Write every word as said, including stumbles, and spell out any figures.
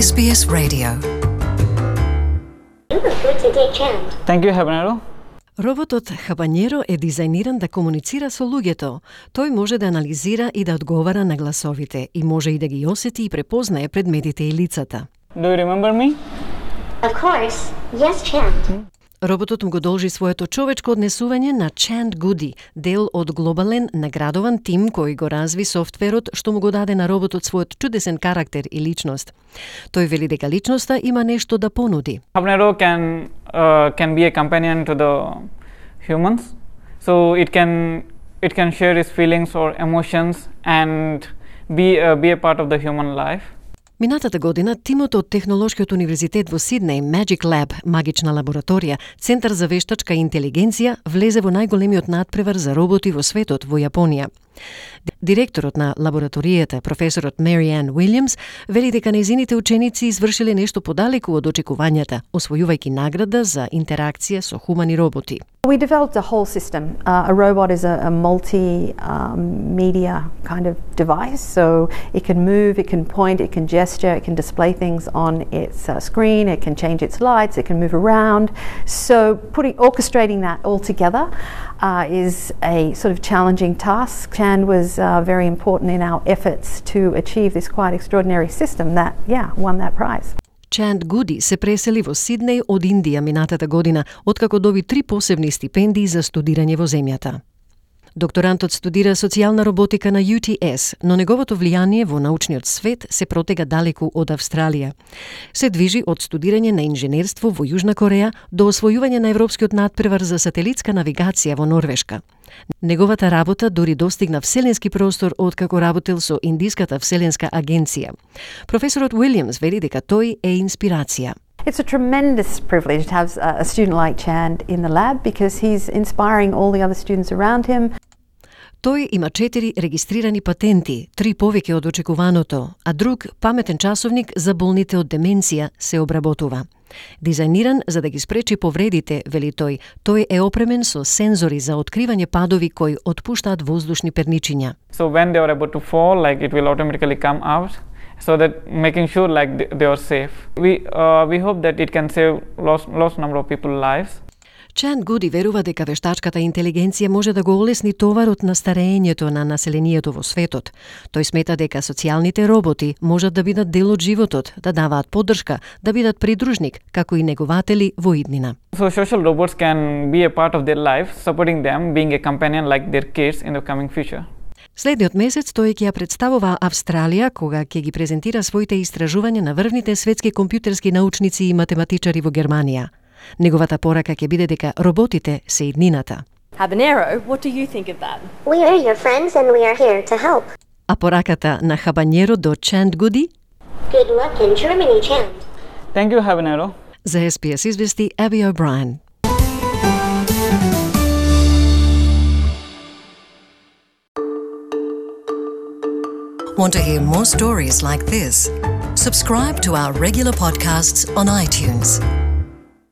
Ес Би Ес Radio. Thank you, Habanero. Роботот Habanero е дизајниран да комуницира со луѓето. Тој може да анализира и да одговара на гласовите и може и да ги осети и препознае предметите и лицата. Do you remember me? Of course. Yes, Chand. Роботот му го должи своето човечко однесување на Chand Goody, дел од глобален наградован тим кој го разви софтверот што му го даде на роботот својот чудесен карактер и личност. Тој вели дека личноста има нешто да понуди. Habanero can uh, can be a companion to the humans, so it can it can share its feelings or emotions and be uh, be a part of the human life. Минатата година, тимот од Технолошкиот универзитет во Сиднеј, Magic Lab, магична лабораторија, Центар за вештачка интелигенција, влезе во најголемиот надпревар за роботи во светот, во Јапонија. Директорот на лабораторијата, професорот Мариан Уилјамс, вели дека нејзините ученици извршиле нешто подалеку од очекувањата, освојувајќи награда за интеракција со хумани роботи. We developed a whole system. Uh, a robot is a, a multi-media um, kind of device, so it can move, it can point, it can gesture, it can display things on its uh, screen, it can change its lights, it can move around. So putting, orchestrating that all together uh, is a sort of challenging task. Chand was uh, very important in our efforts to achieve this quite extraordinary system that, yeah, won that prize. Chand Goody се пресели во Сиднеј од Индија минатата година, откако доби три посебни стипендии за студирање во земјата. Докторантот студира социјална роботика на Ю Ти Ес, но неговото влијание во научниот свет се протега далеку од Австралија. Се движи од студирање на инженерство во Јужна Кореја до освојување на европскиот надпревар за сателитска навигација во Норвешка. Неговата работа дури достигна вселенски простор откако работел со Индиската вселенска агенција. Професорот Уилјамс вели дека тој е инспирација. It's a tremendous privilege to have a student like Chand in the lab because he's inspiring all the other students around him. Тој има четири регистрирани патенти, три повеќе од очекуваното, а друг паметен часовник за болните од деменција се обработува. Дизајниран за да ги спречи повредите, вели тој, тој е опремен со сензори за откривање падови кои отпуштаат воздушни перничиња. So when they are about to fall, like it will automatically come out, so that making sure like they are safe. We uh, we hope that it can save lost lost number of people's lives. Chand Goody верува дека вештачката интелигенција може да го олесни товарот на стареењето на населението во светот. Тој смета дека социјалните роботи можат да бидат дел од животот, да даваат поддршка, да бидат придружник, како и негователи во иднина. So social robots can be a part of their life, supporting them, being a companion like their kids in the coming future. Следниот месец тој ќе ја представува Австралија кога ќе ги презентира своите истражувања на врвните светски компјутерски научници и математичари во Германија. Неговата порака ќе биде дека роботите се иднината. Habanero, what do you think of that? We are your friends and we are here to help. А пораката на Habanero до Chand Goody? Good luck in Germany, Chand. Thank you, Habanero. За Ес Би Ес извести Аби О'Брајен. Want to hear more stories like this? Subscribe to our regular podcasts on iTunes.